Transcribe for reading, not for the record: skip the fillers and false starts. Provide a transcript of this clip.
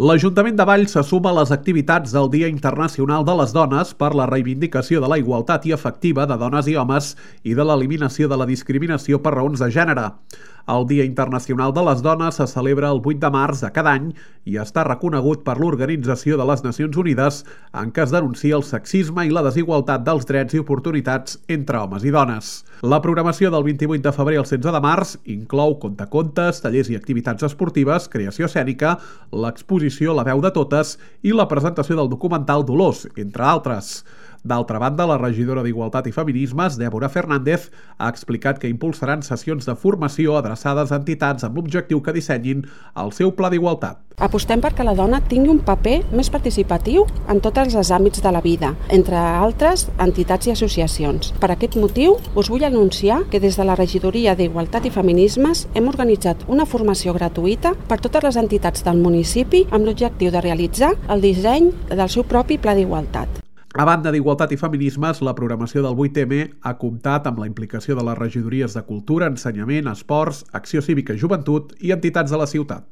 L'Ajuntament de Valls se suma a les activitats del Dia Internacional de les Dones per la reivindicació de la igualtat i efectiva de dones i homes i de l'eliminació de la discriminació per raons de gènere. El Dia Internacional de les Dones se celebra el 8 de març de cada any i està reconegut per l'Organització de les Nacions Unides, en què es denuncia el sexisme i la desigualtat dels drets i oportunitats entre homes i dones. La programació del 28 de febrer al 16 de març inclou contacontes, tallers i activitats esportives, creació escènica, l'exposició La veu de totes i la presentació del documental Dolors, entre altres. D'altra banda, la regidora d'Igualtat i Feminismes, Débora Fernández, ha explicat que impulsaran sessions de formació adreçades a entitats amb l'objectiu que dissenyin el seu pla d'igualtat. Apostem perquè la dona tingui un paper més participatiu en tots els àmbits de la vida, entre altres entitats i associacions. Per aquest motiu, us vull anunciar que des de la Regidoria d'Igualtat i Feminismes hem organitzat una formació gratuïta per totes les entitats del municipi amb l'objectiu de realitzar el disseny del seu propi pla d'igualtat. A banda d'Igualtat i Feminismes, la programació del 8M ha comptat amb la implicació de les regidories de Cultura, Ensenyament, Esports, Acció Cívica i Joventut i entitats de la ciutat.